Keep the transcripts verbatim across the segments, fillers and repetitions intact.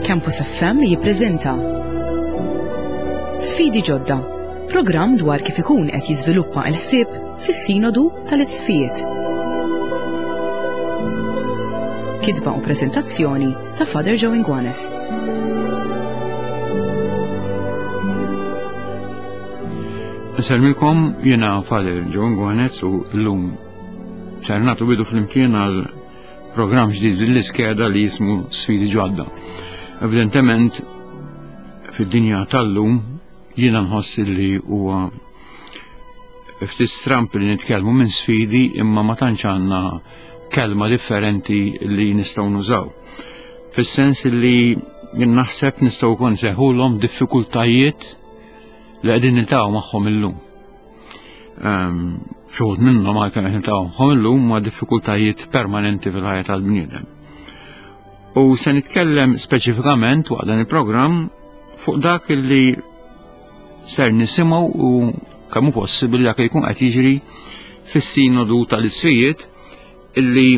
Campus F M jippreżenta Sfidi Ġodda, programm dwar kif ikun qed jiżviluppa l-ħsieb fis-Sinodu tal-Isqfijiet. Kitba u preżentazzjoni ta' Father Joe Inguanes. Nselmilkom, jiena Father Joe Inguanes u llum ser nagħtu bidu flimkien għal programm ġdid l-iskeda li jismu Sfidi Ġodda. Evidentement, fid-dinja tal-lum jiena nħoss li huwa ftit stramp li nitkellmu minn sfidi imma ma tantx għandna kelma differenti li nistgħu nużaw. Fis-sens li jien naħseb nistgħu wkoll nsejħulhom diffikultajiet li qegħdin niltaqgħu magħhom illum. Ehm, xi wħud minnhom għalkemm qed niltaqgħu magħhom illum huma diffikultajiet permanenti fil-ħajja tal-bniedem. U se nitkellem speċifikament waqt dan il-programm fuq dak li ser nisimgħu u kemm hu possibbli dak li jkun qed jiġri fis-Sinodu tal-Isqfijiet illi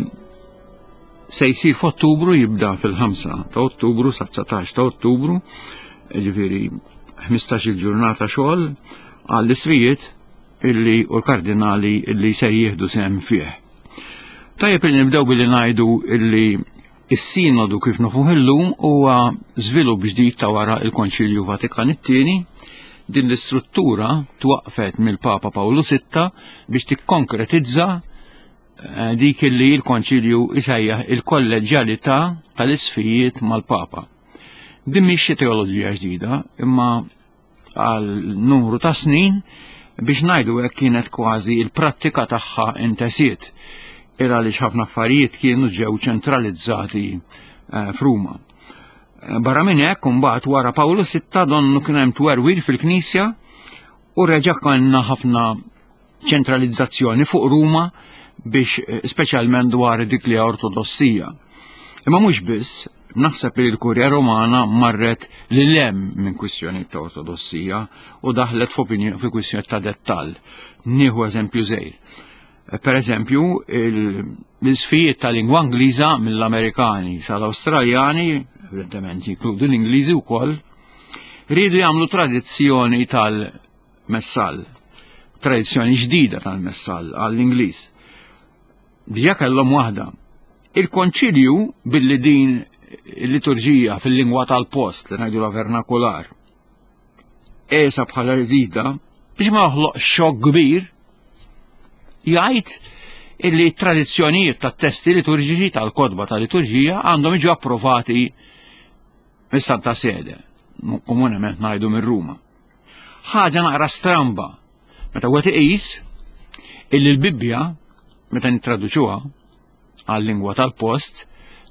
se jsir f'Ottubru, jibda fil-ħamsa ta' Ottubru sa dsatax ta' Ottubru, ġifieri ħmistax-il ġurnata xogħol għall-isqfijiet illi u l-kardinali illi ser jieħdu sehem fih. Tajjeb li nibdew billi ngħidu illi is-sinodu kif nafuh illum huwa żvilupp ġdid ta' wara il-Konċilju Vatikan it-tieni. Din l-istruttura twaqfet mill-Papa Pawlu sitta biex tikkonkretizza, eh, dik illi l-Konċilju isejjaħ il-kolleġjalità tal-isqfijiet mal-Papa. Din mhix xi teoloġija ġdida, imma għal numru ta' snin biex ngħidu hekk kienet kważi il-prattika tagħha intesiet, ira għaliex ħafna affarijiet kienu ġew ċentralizzati, eh, f'Ruma. Eh, barra minn hekk, imbagħad wara Pawlu sitta donnu kien hemm twerwir fil-Knisja u reġa' kellna ħafna ċentralizzazzjoni fuq Ruma biex, eh, speċjalment dwar dik li ortodossija. Imma mhux biss, naħseb li l-Kurja Romana marret lil hemm minn kwistjoni ta' ortodossija u daħlet f'opinjoni fi kwistjoni ta' dettall. Nieħu eżempju żgħir. Per eżempju, il-, l-isqfijiet ta' lingwa Ingliża mill-Amerikani sal-Awstraljani, evidentement jinkludu l-Ingliżi wkoll, riedu jagħmlu tradizzjoni tal-messal, tradizzjoni ġdida tal-messal għall-Ingliż. Diġà kellhom waħda. Il-Konċilju billi din il-liturġija fil-lingwa tal-post li ngħidu la vernakular qiesha bħala ġdida biex ma joħloq xokk kbir, jgħid illi tradizzjonijiet tat-testi liturġiċi tal-kotba tal-liturġija għandhom jiġu approvati mis-Santa Sede, komunement ngħidu minn Ruma. Ħaġa naqra stramba meta wieħed iqis illi l-Bibbja meta nittraduċuha għal-lingwa tal-post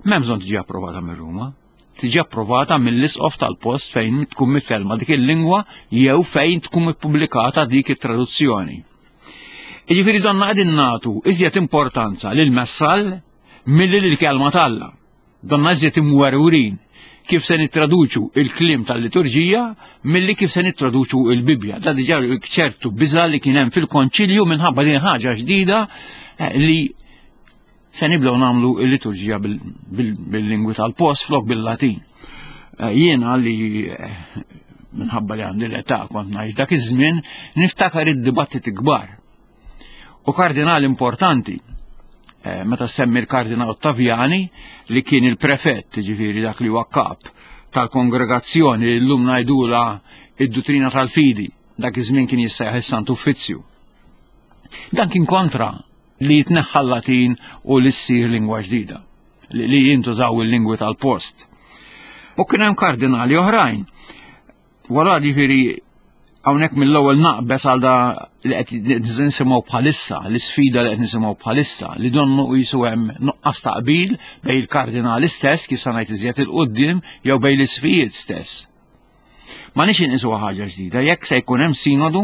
m'hemm bżonn tiġi approvata minn Ruma, tiġi approvata mill-isqof tal-post fejn tkun mitkellma dik il-lingwa jew fejn tkun ippubblikata dik it-traduzzjoni. Jiġifieri donna qegħdin nagħtu iżjed importanza lil messal milli lil kelma t'Alla. Donna iżjed imwerwrin kif se nittraduċu il-kliem tal-liturġija milli kif se nittraduċu il-Bibbja. Da diġà ċertu biża' li kien hemm fil-konċilju minħabba din ħaġa ġdida, eh, li se nibdew nagħmlu l-liturġija bil-, bil-, bil-lingwi tal-post flok bil-Latin. Eh, jiena li, eh, minħabba li għandi l-età kont ngħix dak iż-żmien niftakar id-dibattiti kbar. U kardinal importanti, eh, meta semmi l-kardinal Ottaviani li kien il-prefett, ġifieri dak li huwa kap tal-kongregazzjoni li llum ngħidula id-duttrina tal-fidi, dak iż-żmien kien jissejjaħ is-Santu Uffizzju. Dan kien kontra li jitneħħa l-Latin u li ssir lingwa ġdida, li, li jintużaw il-lingwi tal-post. U kien hemm kardinali oħrajn. Wara ġifieri hawnhekk mill-ewwel naqbes għal da li qed nisimgħu bħalissa, l-isfida li qed nisimgħu bħalissa, li donnu qisu hemm nuqqas ta' qbil bejn il-kardinali stess, kif se ngħid iżjed il-quddiem, jew bejn l-isfijiet stess. Ma nix inqisu ħaġa ġdida, jekk se jkun hemm sinodu,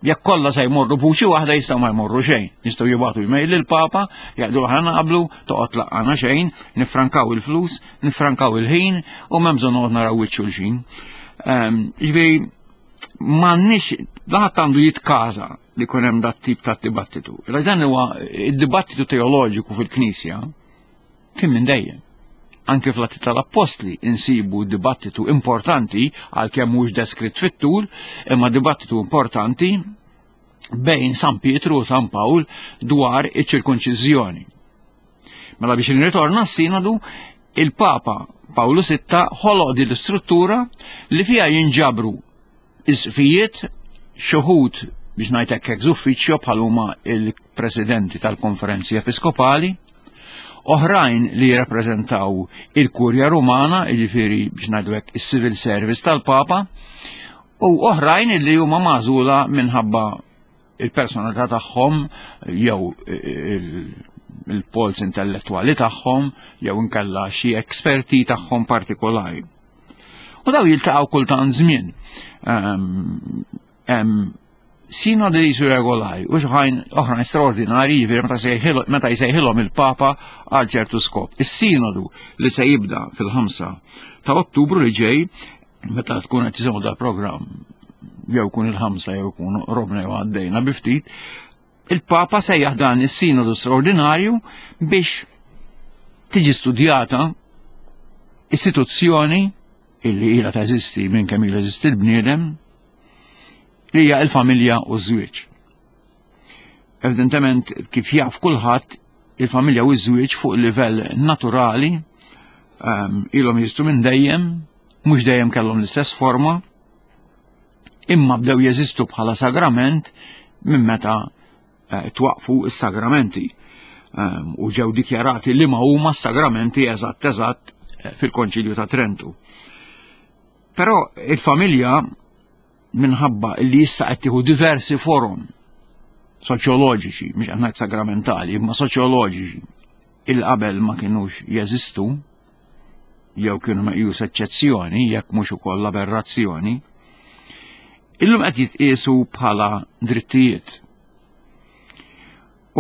jekk kollha se jmorru b'vuċi waħda jistgħu ma jmorru xejn. Jistgħu jibgħatu email lill-Papa, jgħidu aħna naqblu, toqgħod laqqana xejn, nifrankaw il-flus, nifrankaw il-ħin u m'hemm bżonn noqgħod naraw wiċċ xulxin. Ehm, ġifieri m'għandniex, ħadd għandu jitkaża li jkun hemm dat tip ta' dibattitu. Illa dan huwa id-dibattitu teoloġiku fil-Knisja kien minn dejjem. Anke fl-Atti tal-Appostli insibu dibattitu importanti, għalkemm mhux deskritt fit-tul, imma dibattitu importanti bejn San Pietru u San Pawl dwar iċ-ċirkonċiżjoni. Mela biex nirritorna s-sinodu, il-Papa Pawlu Sitta ħoloq din l-istruttura li fiha jinġabru isqfijiet, xuħud biex ngħid hekk ex ufficio bħal huma il-presidenti tal-konferenzi episkopali, oħrajn li jirrappreżentaw il-Kurja Rumana, jiġifieri biex ngħidu hekk is-civil service tal-Papa, u oħrajn li huma magħżula minħabba il-personalità tagħhom jew il-polz intellettwali tagħhom jew inkella xi esperti tagħhom partikolari. U daw jiltaqgħu kultant żmien. Hemm sinodi li jisu regolari u xħajn oħrajn straordinari, jiġifieri meta jsejħilhom il-Papa għal ċertu skop. Is-sinodu li se jibda fil-ħamsa ta' Ottubru li ġej, meta tkun qed tisimgħu dal-programm, jew kun il-ħamsa jew kun robna jew għaddejna bi ftit, il-Papa sejjaħ dan is-sinodu straordinarju biex tiġi studjata istituzzjoni illi ilha teżisti minn kemm ilu jeżisti l-bniedem, li hija l-familja u ż-żwieġ. Evidentement, kif jaf kulħadd, il-familja u ż-żwieġ fuq livell naturali um, ilhom jeżistu minn dejjem, mhux dejjem kellhom l-istess forma, imma bdew jeżistu bħala sagrament minn meta eh, twaqfu s-sagramenti um, u ġew dikjarati li ma huma s-sagramenti eżatt eżatt eh, fil-Konċilju ta' Trentu. Però il-familja, minħabba li issa qed tieħu diversi forom soċjoloġiċi, mhux qed ngħid sagramentali, imma soċjoloġiċi, il qabel ma kinux jeżistu, jew kienu meqjus eċċezzjoni, jekk mhux ukoll aberrazzjoni, illum qed jitqiesu bħala drittijiet.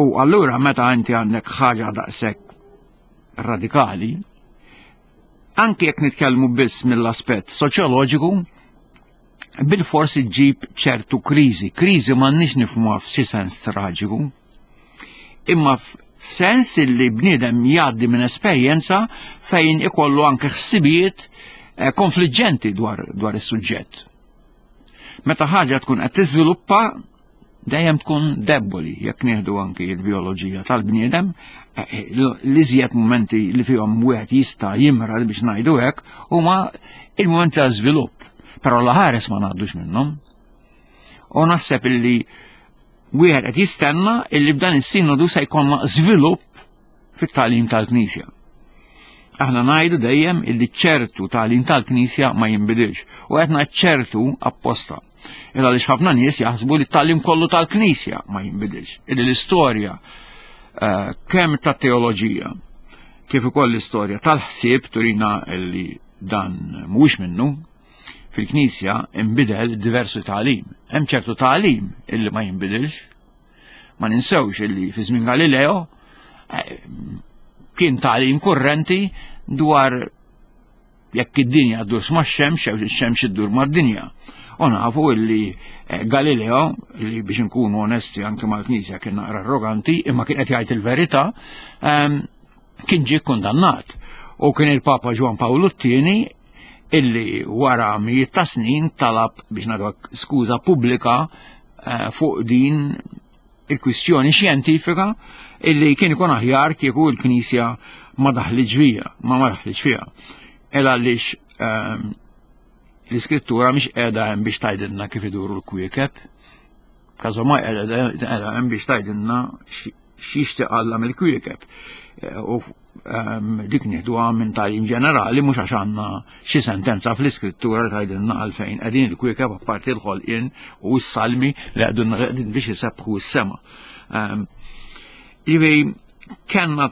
U allura meta inti għandek ħaġa daqshekk radikali, anke jekk nitkellmu biss mill-aspett soċjoloġiku, bil-forsi ġib ċertu kriżi. Kriżi m'għandniex nifhmuha f'xi sens traġiku, imma f'sens li bniedem jgħaddi minn esperjenza fejn ikollu anke ħsibijiet eh, konfliġġenti dwar, dwar is-suġġett. Meta ħaġa tkun qed tiżviluppa, dejjem tkun deboli, jekk nieħdu anke l-bioloġija tal-bniedem, eh, l-iżjed momenti li fihom wieħed jista' jimra biex ngħidu hekk huma il-momenti ta' żvilupp. Però l-ħares ma ngħaddux minnhom. U naħseb illi wieħed qed jistenna illi b'dan is-sinodu se jkollna żvilupp fit-tagħlim tal-Knisja. Aħna ngħidu dejjem illi ċertu tagħlim tal-Knisja ma jinbidilx u qed ngħid ċertu apposta. Illa għaliex ħafna nies jaħsbu li t-tagħlim kollu tal-Knisja ma jinbidilx. Illi l-istorja uh, kemm tat-teoloġija kif ukoll l-istorja tal-ħsieb turina illi dan mhuwiex minnu. Fil-Knisja inbidel diversi tagħlim. Hemm ċertu tagħlim illi ma jinbidilx. Ma ninsewx illi fi żmien Galileo eh, kien tagħlim kurrenti dwar jekk id-dinja ddurx max-xemx jew ix-xemx iddur mad-dinja. U nafu illi eh, Galileo, li biex nkunu onesti anke mal-Knisja kien naqra arroganti, imma kien qed jgħid il-verità, ehm, kien ġie kundannat. U kien il-Papa Ġwan Pawlu t-tieni illi wara mijiet ta' snin talab biex nagħtu skuża pubblika eh, fuq din il-kwistjoni xjentifika illi kien ikun aħjar kieku l-Knisja ma daħlitx fiha, ma ma daħlitx fiha. Ela għaliex ehm, l-iskrittura mhix qiegħda hemm biex tgħidilna kif iduru l-kwiekeb. Każomai qiegħda hemm biex tgħidilna x'jixtieq Alla mill-kwiekeb. Eh, u ehm, dik nieħduha minn tagħlim ġenerali, mhux għax għandna xi sentenza fl-iskrittura li tgħidilna għalfejn qegħdin il-kwiekeb apparti l-ħolqien u s-salmi li qegħdin biex isebbħu s-sema. Ehm, Jiġifieri kellna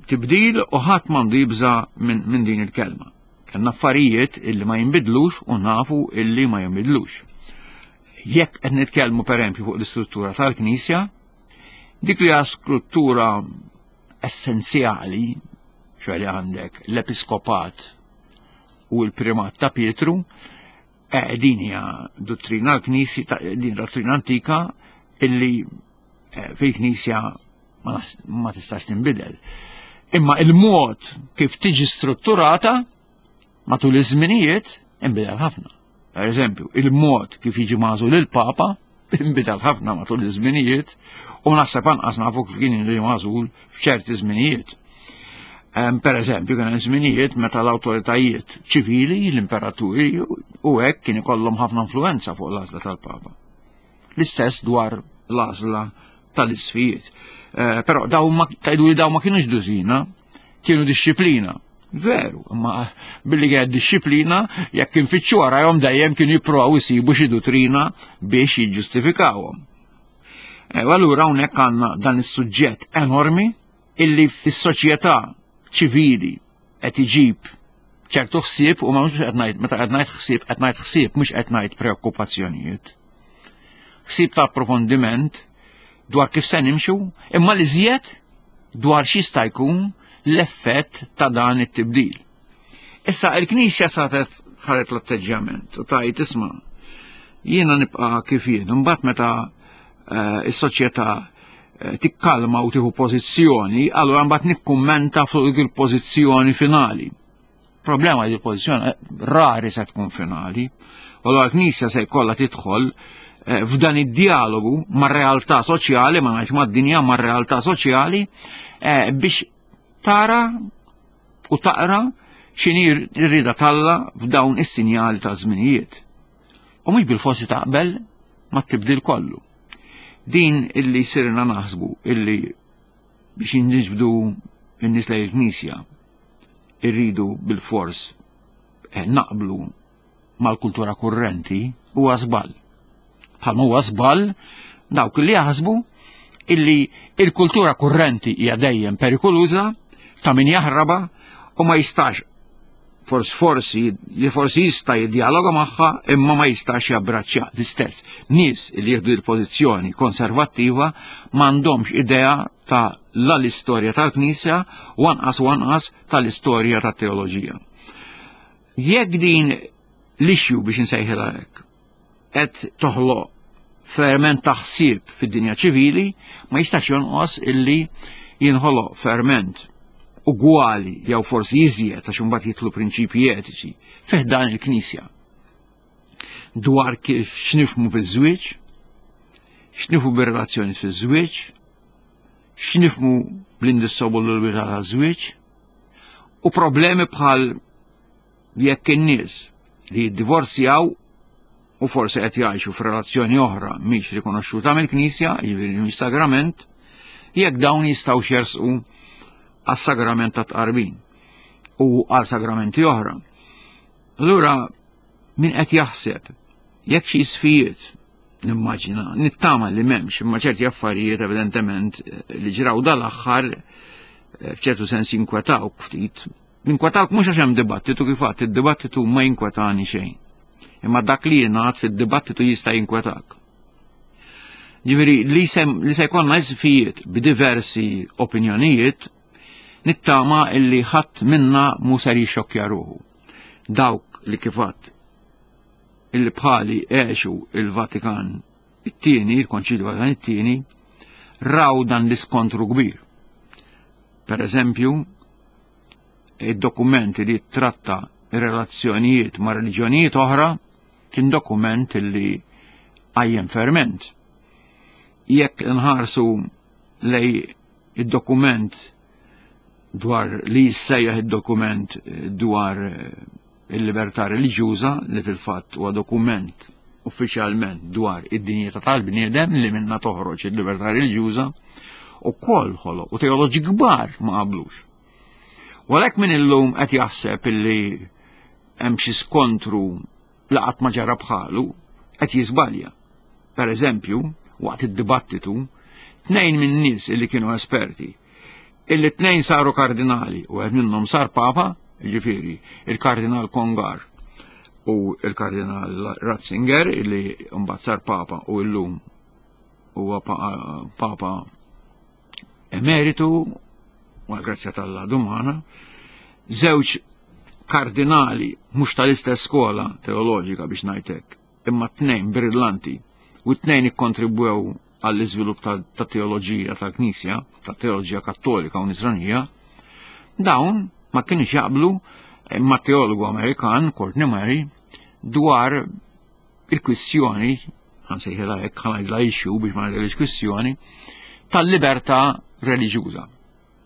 tibdil u ħadd m'għandu jibża minn, minn din il-kelma. Kellna affarijiet illi ma jinbidlux u nafu illi ma jinbidlux. Jekk qed nitkellmu pereżempju fuq l-istruttura tal-Knisja, dik li hija struttura essenzjali, ċoħ li għandek l-episkopat u l-primat ta' Pietru, eh, din hija dottrina l-Knisja, ta-, din dottrina antika illi, eh, fil-Knisja ma nas-, ma tistax tinbidel. Imma il-mod kif tiġi strutturata matul iż-żminijiet inbidel ħafna. Per eżempju, il-mod kif jiġi magħżul il-Papa inbidel ħafna matul iż-żminijiet u naħseb anqas nafu kif kien jiġi magħżul f'ċerti żminijiet. Per eżempju, kien hemm żminijiet meta l-awtoritajiet ċivili, l-imperaturi u hekk kien ikollhom ħafna influenza fuq l-għażla tal-Papa. L-istess dwar l-għażla tal-isfijiet. Eh, però daw ma tgħidu li daw ma kienux duttrina, kienu dixxiplina. Veru, imma billi kienet dixxiplina, jekk infittxu warajhom dejjem kienu jippruvaw isibu xi duttrina biex jiġġustifikawhom. E, u allura hawnhekk għandna dan is-suġġett enormi illi fis-soċjetà ċivili qed iġib ċertu ħsieb u ma mhux qed ngħid meta qed ngħid ħsieb qed ngħid ħsieb mhux qed ngħid preokkupazzjonijiet. Ħsieb ta' approfondiment dwar kif se nimxu, imma li żjed dwar x'jista' jkun l-effett ta' dan it-tibdil. Issa il-Knisja satet ħaret l-atteġġjament u tajt isma' jiena nibqa' kif jien, imbagħad meta eh, is-soċjetà eh, tikkalma u tieħu pożizzjoni, allura mbagħad nikkummenta fuq dik il-pożizzjoni finali. Problema li l-pożizzjoni eh, rari se tkun finali. U allura l-Knisja se jkollha tidħol f'dan id-dialogu mar-realtà soċjali, ma ngħidx mad-dinja, mar-realtà soċjali, biex tara u taqra x'inhi r-rieda t'Alla f'dawn is-sinjali ta' żminijiet. U mhux bil-forsi taqbel ma tibdil kollu. Din illi sirna naħsbu illi biex inġibdu n-nies lejn il-Knisja irridu bil-fors eh, naqblu mal-kultura kurrenti huwa żball. Bħalma huwa żball dawk li jaħsbu illi il-kultura kurrenti hija dejjem perikoluża ta' min jaħraba u ma jistax fors forsi li forsi jista' jiddialoga magħha imma ma jistax jabbraċċja l-istess. Nies li jieħdu l-pożizzjoni konservattiva m'għandhomx idea ta' la l-istorja tal-Knisja u anqas u anqas tal-istorja tat-teoloġija. Jekk din l-issue biex insejħilha hekk qed toħloq ferment ta' ħsieb fid-dinja ċivili, ma jistax jonqos illi jinħoloq ferment ugwali jew forsi iżjed għax imbagħad jitlu prinċipji etiċi fih dan il-Knisja. Dwar kif x'nifhmu biż-żwieġ, x'nifhmu bir-relazzjoni fiż-żwieġ, x'nifhmu bl-indissolubilità taż-żwieġ, u problemi bħal jekk in-nies li jiddivorzjaw u forsi qed jgħixu f'relazzjoni oħra mhix rikonoxxuta mill-Knisja, jiġifieri mhix sagrament, jekk dawn jistgħu jersqu għas-sagrament ta' tqarbin u għal sagramenti oħra. Allura min qed jaħseb jekk xi isfijiet nimmaġina, nittama li m'hemmx, imma ċerti affarijiet evidentement li ġraw dal-aħħar f'ċertu sens jinkwetawk ftit. Jinkwetawk mhux għax hemm dibattitu kif għadt, id-dibattitu ma jinkwetani xejn. Imma dak li jingħad fid-dibattitu jista' jinkwetak. Ġifieri li se li se jkollna isfijiet b'diversi opinjonijiet, nittama illi ħadd minna mhu ser jixxokkja ruħu. Dawk li kif għadt illi bħali għexu il-Vatikan it-tieni, il-Konċilju Vatikan it-tieni, raw dan l-iskontru kbir. Per eżempju, id-dokumenti li tratta ir-relazzjonijiet ma' reliġjonijiet oħra kien dokument illi għajjem ferment. Jekk nħarsu lej id-dokument dwar li jissejjaħ id-dokument dwar il-libertà reliġjuża, li fil-fatt huwa dokument uffiċjalment dwar id-dinjità tal-bniedem li minna toħroġ il-libertà reliġjuża, u koll ħoloq u teoloġi kbar ma qablux. U għalhekk min illum qed jaħseb illi hemm xi skontru li qatt ma ġara bħalu, qed jiżbalja. Per eżempju, waqt id-dibattitu, tnejn minn nies illi kienu esperti, illi tnejn saru kardinali u għed minnhom sar papa, ġifieri il-kardinal Congar u il-kardinal Ratzinger, illi mbagħad sar papa u llum huwa papa emeritu, u għal-grazzja tal-Alla dumana, żewġ kardinali mhux tal-istess skola teoloġika biex ngħidlek, imma tnejn brillanti u tnejn ikkontribwew għall-iżvilupp ta' teoloġija tal-Knisja, ta' teoloġija kattolika u nisranija, Dawn ma kienux jaqblu ma' teologu Amerikan, Courtney Murray, dwar il-kwistjoni, ħansejħilha hekk, ħa ngħidilha issue biex ma ngħidilhiex kwistjoni, tal-libertà reliġjuża.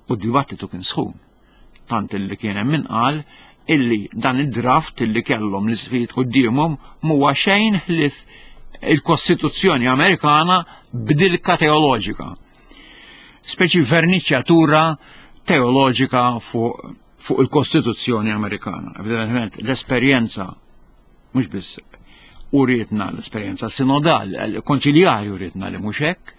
U d-dibattitu kien sħun. Tant illi kien hemm min qal illi dan id-draft illi kellhom l-isqfijiet quddiemhom m'huwa xejn ħlief il-Kostituzzjoni Amerikana b'dilka teoloġika. Speċi verniċjatura teoloġika fuq fuq il-Kostituzzjoni Amerikana. Evidentement, l-esperjenza mhux biss urietna l-esperjenza sinodal, konċiljari urietna li mhux hekk,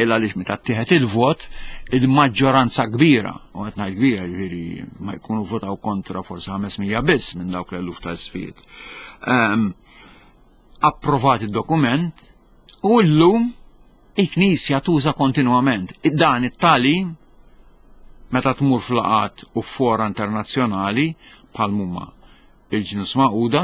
illa għaliex meta ttieħed il-vot, il-maġġoranza kbira, u qed ngħid kbira, ġifieri ma jkunu votaw kontra forsi ħames mija biss minn dawk l-eluf ta' isqfijiet. Ehm, approvat id-dokument u llum il-Knisja tuża kontinwament dan it-tagħlim meta tmur f'laqgħat u fora internazzjonali bħal huma il-Ġnus Magħquda,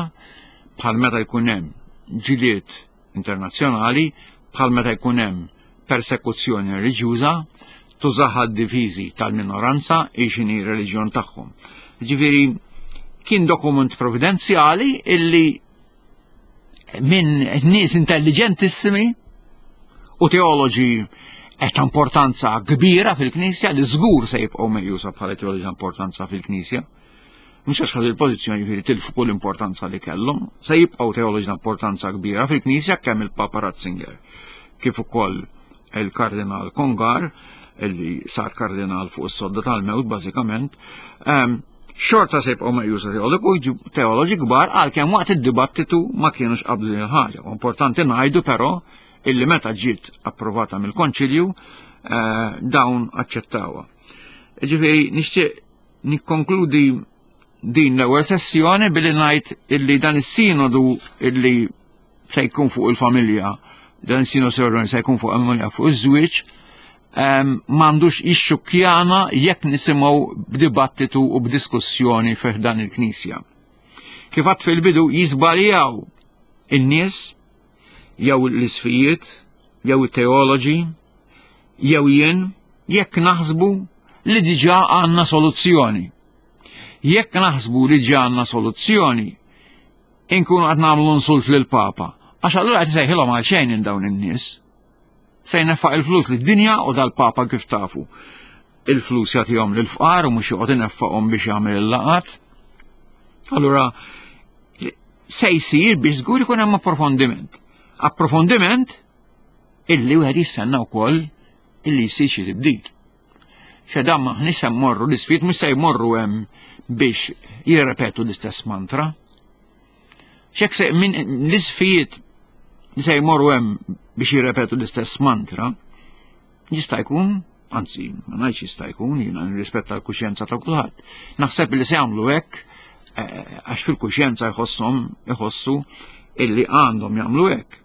bħal meta jkun hemm ġilied internazzjonali, bħal meta jkun hemm persekuzzjoni reliġjuża, tużaha d-difiżi tal-minoranza x'inhi reliġjon tagħhom. Ġifieri kien dokument provvidenzjali illi minn nies intelligentissimi u teoloġi ta' importanza kbira fil-Knisja li żgur se jibqgħu meqjusa bħala teoloġi ta' importanza fil-Knisja. Mhux għax ħadu il-pożizzjoni ġifieri tilfu kull importanza li kellhom, se jibqgħu teoloġi ta' importanza kbira fil-Knisja kemm il-Papa Ratzinger kif ukoll il-Kardinal Congar illi sar kardinal fuq is-sodda tal-mewt bażikament, ehm, xorta se jibqgħu meqjusa teoloġi kbar għalkemm waqt id-dibattitu ma kienux qablu din il-ħaġa. Importanti ngħidu però illi meta ġiet approvata mill-Konċilju eh, dawn aċċettawha. Ġifieri nixtieq nikkonkludi din l-ewwel sessjoni billi ngħid illi dan is-sinodu illi se jkun fuq il-familja, dan is-sinodu se jkun fuq il-familja fuq iż-żwieġ, ehm, m'għandux jixxukkjana jekk nisimgħu b'dibattitu u b'diskussjoni fih dan il-Knisja. Kif għadt fil-bidu jiżbaljaw in-nies jew l-isqfijiet, jew it-teoloġi, jew jien, jekk naħsbu li diġà għandna soluzzjoni. Jekk naħsbu li diġà għandna soluzzjoni, inkunu qed nagħmlu insult lill-Papa. Għax allura qed isejħilhom għal xejn in dawn in-nies. Se jneffaq il-flus lid-dinja u dal-Papa kif tafu. Il-flus jagħtihom lill-fqar u mhux joqgħod ineffaqhom biex jagħmel il-laqat. Allura se jsir biex żgur ikun hemm approfondiment. Approfondiment illi wieħed jistenna wkoll illi jsir xi tibdil. X'dan maħniex se mmorru l-isqfijiet mhux se jmorru hemm biex jirrepetu l-istess mantra. X'hekk se min l-isqfijiet se jmorru hemm biex jirrepetu l-istess mantra, jista' jkun, anzi, ma ngħidx jista' jkun, jiena nirrispetta l-kuxjenza ta' kulħadd. Naħseb li se jagħmlu hekk eh, għax fil-kuxjenza jħosshom iħossu illi għandhom jagħmlu hekk.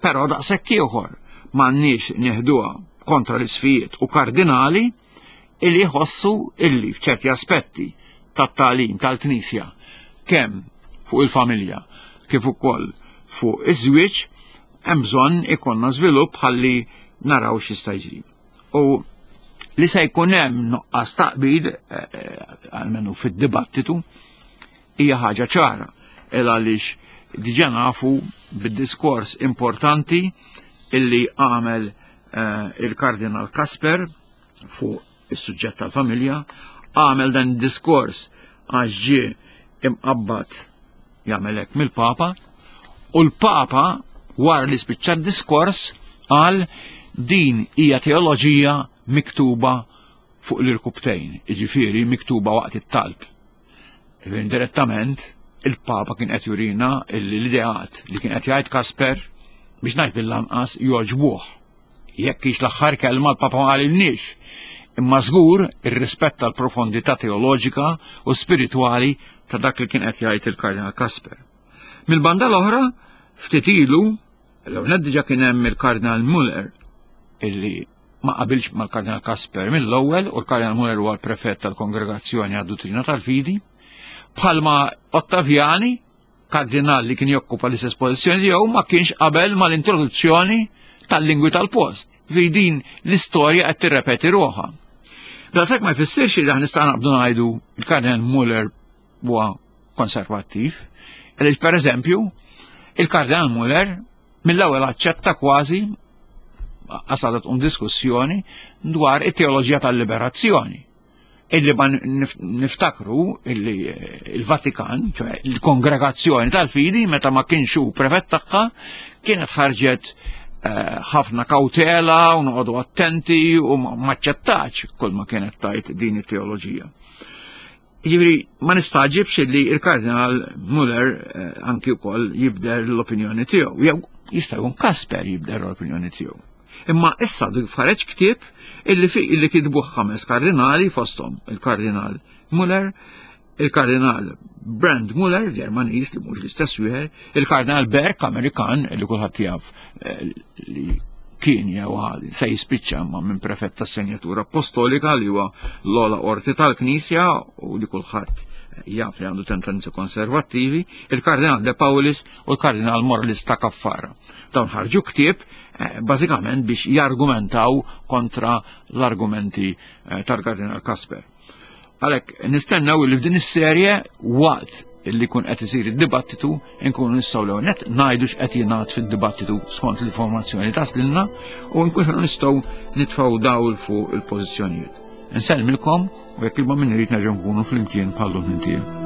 Però daqshekk ieħor m'għandniex nieħduha kontra l-isqfijiet u kardinali illi jħossu illi f'ċerti aspetti tat-tagħlim tal-Knisja kemm fuq il-familja kif ukoll fuq iż-żwieġ hemm bżonn ikollna żvilupp ħalli naraw x'jista' jiġri. U li se jkun hemm nuqqas taqbil eh, eh, almenu fid-dibattitu hija ħaġa ċara il għaliex diġà nafu bid-diskors importanti illi għamel eh, il-Kardinal Kasper fuq is-suġġett tal-familja, għamel dan id-diskors għax ġie imqabbad jagħmel hekk mill-Papa, u l-Papa wara li spiċċa d-diskors qal din hija teoloġija miktuba fuq l-irkubtejn, jiġifieri miktuba waqt it-talb. Indirettament il-Papa kien qed jurina l-ideat li kien qed jgħid Kasper biex ngħid bil-lanqas jogħġbuh. Jekk hix l-aħħar kelma l-Papa ma qalilniex, imma żgur irrispetta l-profondità teoloġika u spiritwali ta' dak li kien qed jgħid il-Kardinal Kasper. Mill-banda l-oħra, ftit ilu, l-ewwel diġà kien hemm il-Kardinal Müller illi ma qabilx mal-Kardinal Kasper mill-ewwel, u l-Kardinal Müller huwa l-prefett tal-Kongregazzjoni għad-Duttrina tal-Fidi, bħalma Ottaviani, kardinal li kien jokkupa l-istess pożizzjoni tiegħu, ma kienx qabel mal-introduzzjoni tal-lingwi tal-post. Fi din l-istorja qed tirrepeti ruħha. Daqshekk ma jfissirx li aħna nistgħu naqbdu ngħidu il-Kardinal Muller huwa konservattiv. Għaliex pereżempju, il-Kardinal Muller mill-ewwel aċċetta kważi għasadat un diskussjoni dwar it-teoloġija tal-liberazzjoni. Illi ma niftakru illi il-Vatikan, ċoè il-kongregazzjoni tal-fidi, meta ma kienx hu prefett tagħha, kienet ħarġet ħafna kawtela u noqogħdu attenti u ma aċċettax kull ma kienet tajt din it-teoloġija. Jiġifieri ma nistaġibx li il-Kardinal Muller anki wkoll jibdel l-opinjoni tiegħu, jew jista' jkun Kasper jibdel l-opinjoni tiegħu. Imma issa dik ħareġ ktieb illi fi illi kitbuh ħames kardinali fosthom il-Kardinal Muller, il-Kardinal Brand Muller, Ġermaniż li mhux l-istess wieħed, il-Kardinal Burke Amerikan li kulħadd jaf li kien jew se jispiċċa ma minn prefett tas-Senjatura Apostolika li huwa l-ogħla qorti tal-Knisja u li kulħadd jaf li għandu tendenzi konservattivi, il-Kardinal De Paulis u l-Kardinal Morales ta' Caffara. Dawn ħarġu ktieb bażikament biex jargumentaw kontra l-argumenti tal-Kardinal Kasper. Għalhekk nistennew li f'din is-serje waqt li jkun qed isir id-dibattitu nkunu nistgħu l net ngħidu x'qed jingħad fid-dibattitu skont l-informazzjoni taslilna u nkunu nistgħu nitfgħu dawl fuq il-pożizzjonijiet. Nsellmilkom u jekk il-ma min irid nerġgħu nkunu flimkien bħallum intiem.